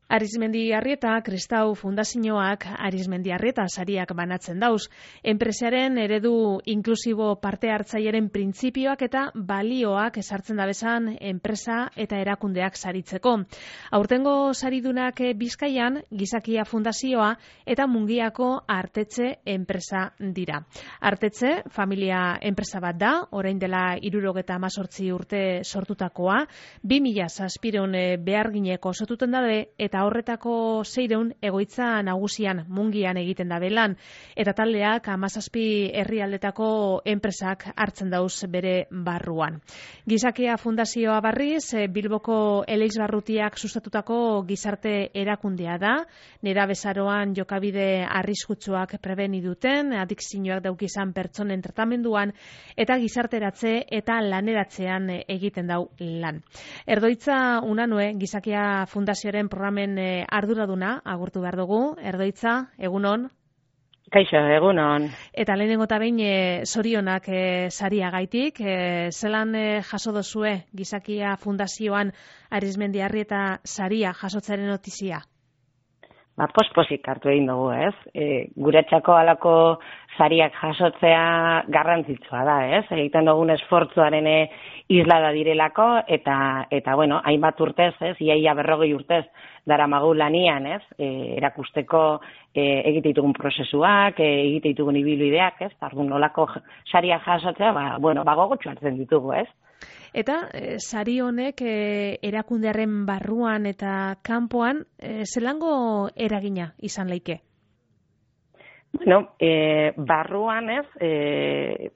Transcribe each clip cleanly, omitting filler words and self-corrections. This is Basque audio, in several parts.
Arizmendiarrieta Kristau Fundazioak Arizmendiarrieta sariak banatzen dauz. Enpresaren eredu inklusibo parte hartzailearen printzipioak eta balioak esartzen dabezan enpresa eta erakundeak saritzeko. Aurtengo saridunak Bizkaian Gizakia Fundazioa eta Mungiako Artetxe enpresa dira. Artetxe familia enpresa bat da, orain dela 78 urte sortutakoa, 2007 behargineko osatuten dabe eta horretako 600 egoitza nagusian Mungian egiten da belan, eta taldeak 17 herrialdetako enpresak hartzen dauz bere barruan. Gizakia Fundazioa barriz, Bilboko Eleixbarrutiak sustatutako gizarte erakundea da, nerabezaroan jokabide arriskutsuak prebeni duten, adikzioak daukizan pertsonen tratamenduan, eta gizarteratze eta laneratzean egiten dau lan. Erdoitza Unanue, Gizakia Fundazioaren programen arduraduna agurtu behar dugu. Erdoitza, egunon. Kaixo, egunon. Eta lehenengo eta behin zorionak sariagaitik. Zelan jaso dozue Gizakia Fundazioan Arizmendiarrieta saria jasotzaren notizia? Pospozik hartu egin dugu, ez? Guretzako halako sariak jasotzea garrantzitsua da, ez? Egiten dugun esfortzuaren islada direlako, eta bueno, hainbat urtez, ez? Iaia 40 urtez daramagu lanian, ez? Erakusteko egite ditugun prozesuak, egite ditugun ibilbideak, ez? Orduan nolako sariak jasotzea, gogotsu hartzen ditugu, ez? Eta sari honek erakundearen barruan eta kanpoan zelango eragina izan leike? Bueno, barruan ez,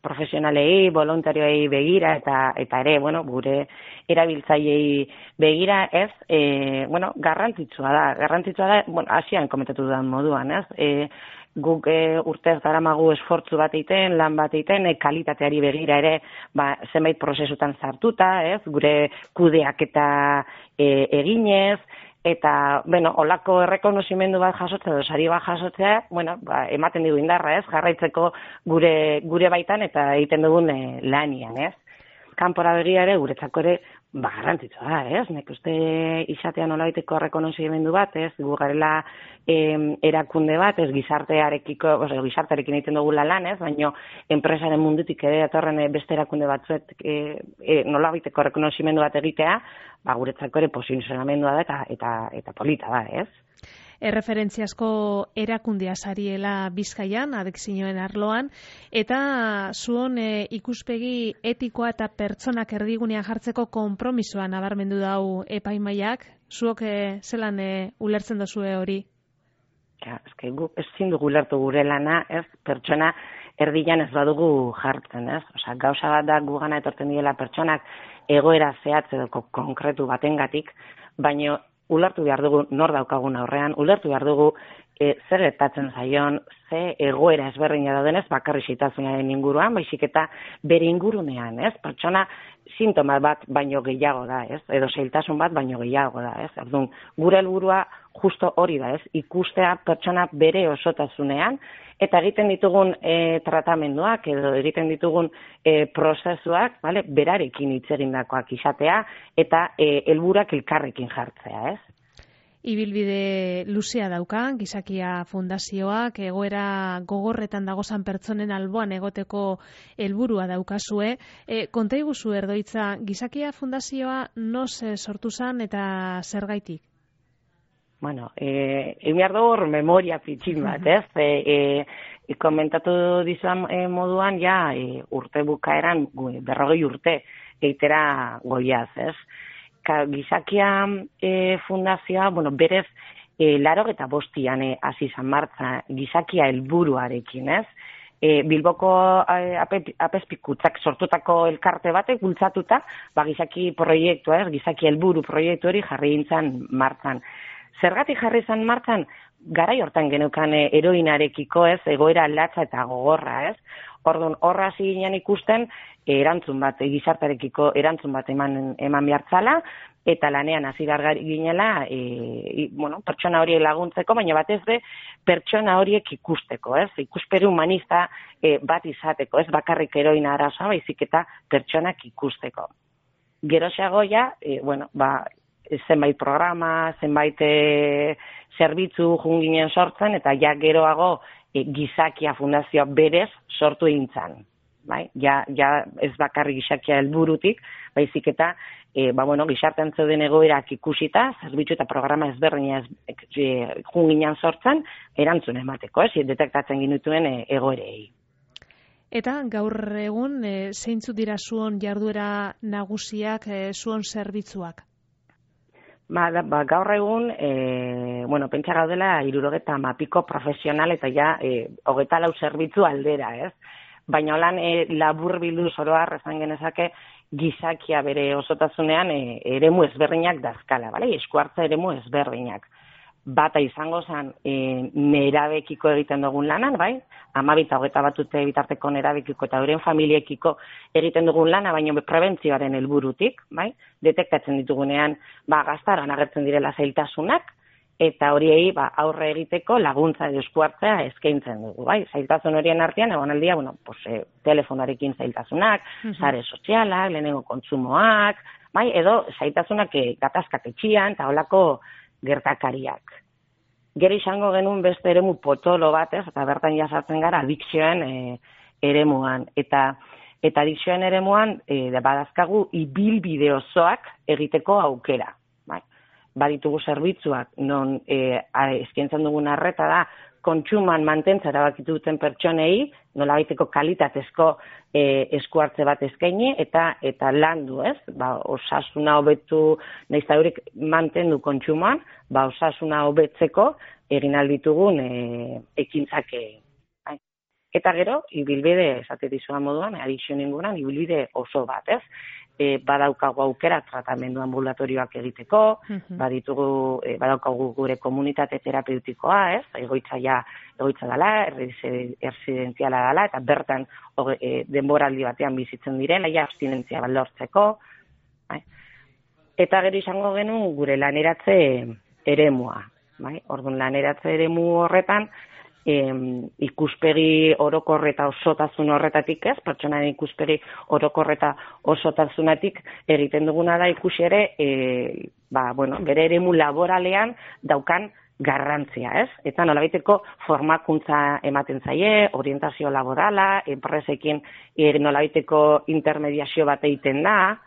profesionalei, voluntarioei begira eta ere, gure erabiltzaileei begira ez, garrantzitsua da, hasian komentatu dudan moduan, ez, guk urtez daramagu esfortzu bat egiten, lan bat egiten, kalitateari begira ere, zenbait prozesutan sartuta, ez, gure kudeaketa eginez, eta, olako errekonozimendu bat jasotzea, edo sari bat jasotzea, ematen digu indarra, ez, jarraitzeko gure baitan eta egiten dugun lanian, ez. Kanpora begira ere, guretzako ere, garrantzitsua da, ez? Nek uste izatea nolabaiteko errekonozimendu bat, ez? Gu garela erakunde bat, ez gizartearekin egiten dugula lan, ez? Baina enpresaren mundutik ere datorren beste erakunde batzuet nolabaiteko errekonozimendu bat egitea, guretzako ere posizionamendua da eta polita da, ez? Erreferentziazko erakundea sariela Bizkaian, adikzioen arloan, eta zuon ikuspegi etikoa eta pertsonak erdigunean jartzeko konpromisoa nabarmendu dau epaimaiak, zuok zelan ulertzen dozue hori? Guk ezin dugu ulertu gure lana, ez, pertsona erdian ez badugu jartzen, ez? Osea, gauza bat da gugana etortzen direla pertsonak egoera zehatz edo konkretu batengatik, baina ulertu behar dugu nor daukagun aurrean, ulertu behar dugu zer gertatzen zaion, ze egoera ezberdina daudenez bakarrik xeitasunaren inguruan, baizik eta bere ingurunean, ez? Pertsona sintoma bat baino gehiago da, ez? Edo zailtasun bat baino gehiago da, ez? Orduan, gure helburua justo hori da, ez? Ikustea pertsona bere osotasunean, eta egiten ditugun tratamenduak edo egiten ditugun prozesuak, berarekin hitz egindakoak izatea eta helburuak elkarrekin jartzea, ez? Ibilbide luzea dauka, Gizakia Fundazioak, egoera gogorretan dagozan pertsonen alboan egoteko helburua daukazue. Konta iguzu Erdoitza, Gizakia Fundazioa noz sortu zen eta zergaitik? Egin hor memoria pitxin bat, ez? Komentatu dizuan moduan, urte bukaeran 40 urte eitera goiaz, ez? Gizakia Fundazioa, berez, 85an hasi izan martza gizakia helburuarekin, ez? Bilboko apezpikutzak sortutako elkarte batek bultzatuta, gizaki proiektua, ez? Gizaki helburu proiektu hori jarri gintzan martzan. Zergatik jarri izan martzan, garai hortan geneukan heroinarekiko, ez, egoera latza eta gogorra, ez? Orduan, horra hasi ginen ikusten, erantzun bat, gizartarekiko erantzun bat eman behartzala, eta lanean hasi ginela, pertsona horiek laguntzeko, baina batez be, pertsona horiek ikusteko, ez? Ikusperi humanista bat izateko, ez bakarrik heroina arazoa, baizik eta pertsonak ikusteko. Geroxeago zenbait programa, zenbait zerbitzu junginen sortzen, eta ja geroago gizakia fundazioa berez sortu egintzan. Bai? Ja ez bakarri gizakia helburutik, baizik eta gizartean zeuden egoerak ikusita, zerbitzu eta programa ezberdina junginan sortzen, erantzun emateko, detektatzen ginituen egoerei. Eta gaur egun, zeintzuk dira zuon jarduera nagusiak, zuon zerbitzuak? Gaur egun, pentsa gaudela 70 profesional eta ja 24 zerbitzu aldera, ez? Baina holan labur bildu zoroar esan genezake gizakia bere osotasunean eremu ezberdinak dazkala, bale? Esku hartza eremu ezberdinak. Bata izango zen nerabekiko egiten dugun lanan, bai? 12 eta 21 urte bitarteko nerabekiko eta euren familiekiko egiten dugun lana, baina prebentzioaren helburutik, bai? Detektatzen ditugunean gaztaroan agertzen direla zailtasunak, eta horiei aurre egiteko laguntza edo esku hartzea eskaintzen dugu, bai? Zailtasun horien artean egonaldia, telefonarekin zailtasunak, sare sozialak, lehenengo kontsumoak, bai? Edo zailtasunak gatazkak etxian eta holako gertakariak. Gero izango genuen beste eremu potolo batez, eta bertan jasartzen gara adikzioen eremuan. Eta adikzioen eremuan badazkagu ibilbide osoak egiteko aukera. Baditugu zerbitzuak, non eskaintzen dugun arreta da, kontsuman mantentza erabakitu duten pertsonei, nolabaiteko kalitatezko esku hartze bat eskaini eta landu, ez? Osasuna hobetu, nahiz eta horiek mantendu kontsuman, osasuna hobetzeko egin alditugun ekintzak. Eta gero, ibilbide, esate dizuan moduan, adikzio inguruan, ibilbide oso bat, ez? Badaukagu aukera tratamendu ambulatorioak egiteko, badaukagu gure komunitate terapeutikoa, ez? Egoitza dela, erresidentziala dela, eta bertan denboraldi batean bizitzen direla, abstinentzia bat lortzeko. Eta gero izango genuen gure laneratze eremua. Orduan laneratze eremu horretan, ikuspegi orokor eta osotasun horretatik, ez? Pertsonaren ikuspegi orokor eta osotasunatik egiten duguna da ikusi ere, bere eremu laboralean daukan garrantzia, ez? Eta nolabaiteko formakuntza ematen zaie, orientazio laborala, enpresekin nolabaiteko intermediazio bat egiten da,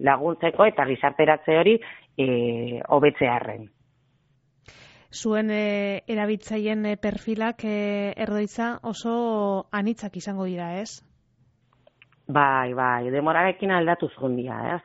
laguntzeko eta gizarteratze hori hobetzearren. Zuen erabiltzaileen perfilak Erdoitza oso anitzak izango dira, ez? Bai, demorarekin aldatu zundia, ez?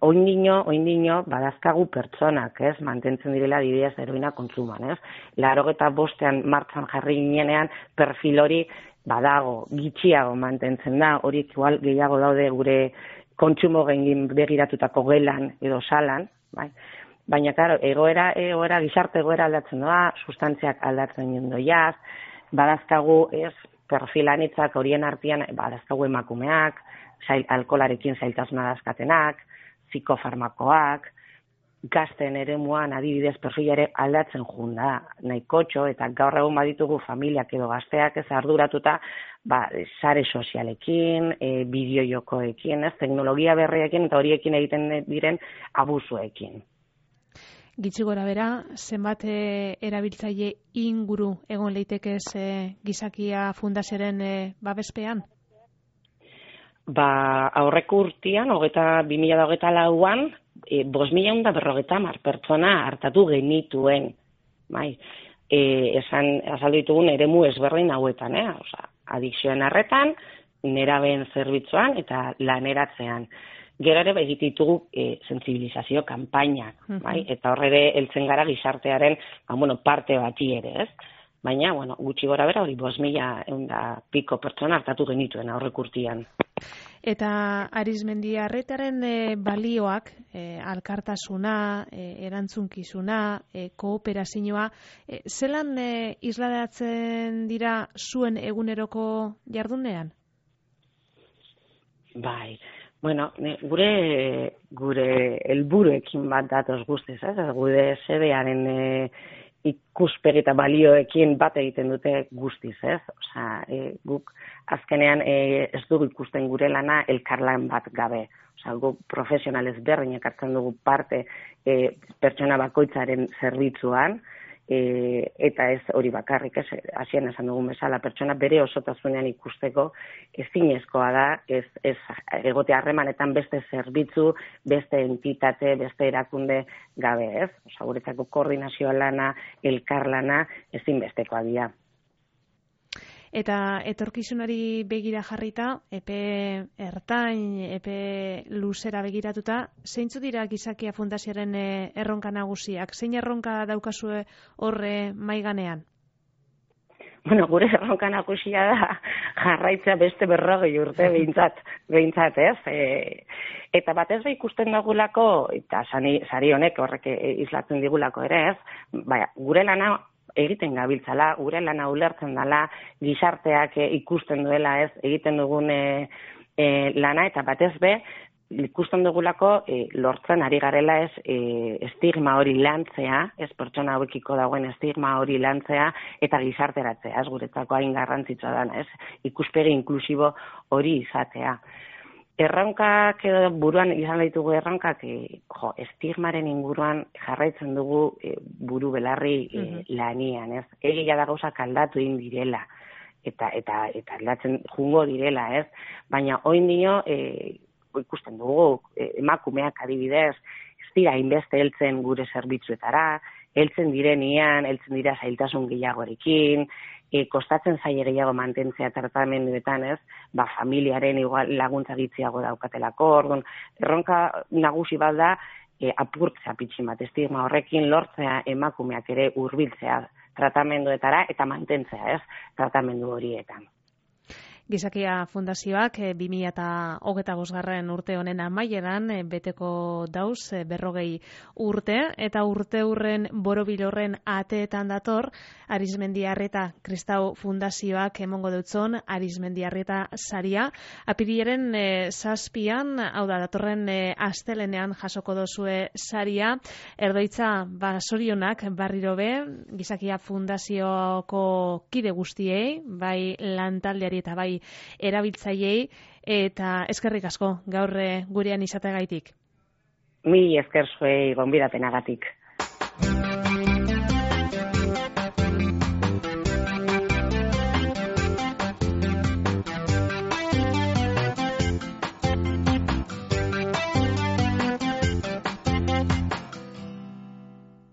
Oindino badazkagu pertsonak, ez? Mantentzen direla adibidez heroina kontsuman, ez? 85ean martxan jarri ginenean perfil hori badago, gitxiago mantentzen da, horiek igual gehiago daude gure kontsumo gengin begiratutako gelan edo salan, bai? Baina, claro, gizarte egoera aldatzen doa, sustantziak aldatzen doiaz, badazkagu perfilanitzak horien artean, badazkagu emakumeak, alkolarekin zailtasuna dazkatenak, psikofarmakoak, gazten eremuan adibidez perfilare aldatzen junda, nahikotxo, eta gaur egun baditugu familiak edo gazteak ez arduratuta, sare sozialekin, bideo-jokoekin, teknologia berriekin eta horiekin egiten diren abusuekin. Gitxi gora bera, zenbat erabiltzaile inguru egon leitekez gizakia fundazioaren babespean? Aurreko urtean, 2024an, 5.150 pertsona hartatu genituen. Azaldu ditugun eremu ezberdin hauetan, adikzioen arretan, nerabeen zerbitzuan eta laneratzean. Gero ere egiten ditugu sentsibilizazio kanpainak, eta horre heltzen gara gizartearen parte bati ere, ez? Baina, gutxi gora bera hori 5.100 pertsona hartatu genituen aurreko urtean. Eta Arizmendiarretaren balioak, alkartasuna, erantzunkizuna, kooperazioa, zelan isladatzen dira zuen eguneroko jardunean? Bai. Gure helburuekin bat datoz guztiz, ez? Gure sedearen ikuspegi eta balioekin bat egiten dute guztiz, ez? Guk azkenean ez dugu ikusten gure lana elkarlan bat gabe. Gu profesional ezberdinak hartzen dugu parte pertsona bakoitzaren zerbitzuan, eta ez hori bakarrik, hasieran esan dugun bezala, pertsona bere osotasunean ikusteko ezinezkoa da, ez egote harremanetan beste zerbitzu, beste entitate, beste erakunde gabe, ez? Guretzako koordinazio lana, elkarlana ezinbestekoa dira. Eta etorkizunari begira jarrita, epe ertain, epe luzera begiratuta, zeintzu dira Gizakia Fundazioaren erronka nagusiak? Zein erronka daukazue horre maiganean? Bueno, gure erronka nagusia da jarraitzea beste 40 urte behintzat, ez? Eta batez ikusten dagulako, eta sari honek horrek islatzen digulako ere, ez? Gure lana egiten gabiltzala, gure lana ulertzen dela, gizarteak ikusten duela, ez, egiten dugun lana, eta batez ikusten dugulako lortzen ari garela, ez, estigma hori lantzea, ez, pertsona hauekiko dagoen estigma hori lantzea, eta gizarteratzea, ez, guretzako hain garrantzitsua dana, ez, ikuspegi inklusibo hori izatea. Erronkak edo buruan izan ditugu erronkak, estigmaren inguruan jarraitzen dugu buru belarri lanian, ez? Egia da gauzak aldatu egin direla, eta aldatzen jungo direla, ez? Baina orain dio ikusten dugu emakumeak adibidez, ez dira hainbeste heltzen gure zerbitzuetara, heltzen dira zailtasun gehiagorekin, kostatzen zaie gehiago mantentzea tratamenduetan, ez? Familiaren igual laguntza gitziago daukatelako, orduan, erronka nagusi bat da apurtzea pitxin bat, estigma horrekin lortzea emakumeak ere hurbiltzea tratamenduetara eta mantentzea, ez? Tratamendu horietan. Gizakia Fundazioak 2025 urte honen amaieran beteko dauz 40 urte, eta urte hurren borobil horren ateetan dator Arizmendiarreta Kristau Fundazioak emongo dutzon Arizmendiarreta saria. Apirilaren 7an, hau da, datorren astelenean jasoko dozue saria. Erdoitza, sorionak barriro be, Gizakia Fundazioko kide guztiei, bai lantaldeari eta bai erabiltzaileei, eta eskerrik asko gaur gurean izateagaitik. Mil esker zuei gonbidapenagatik.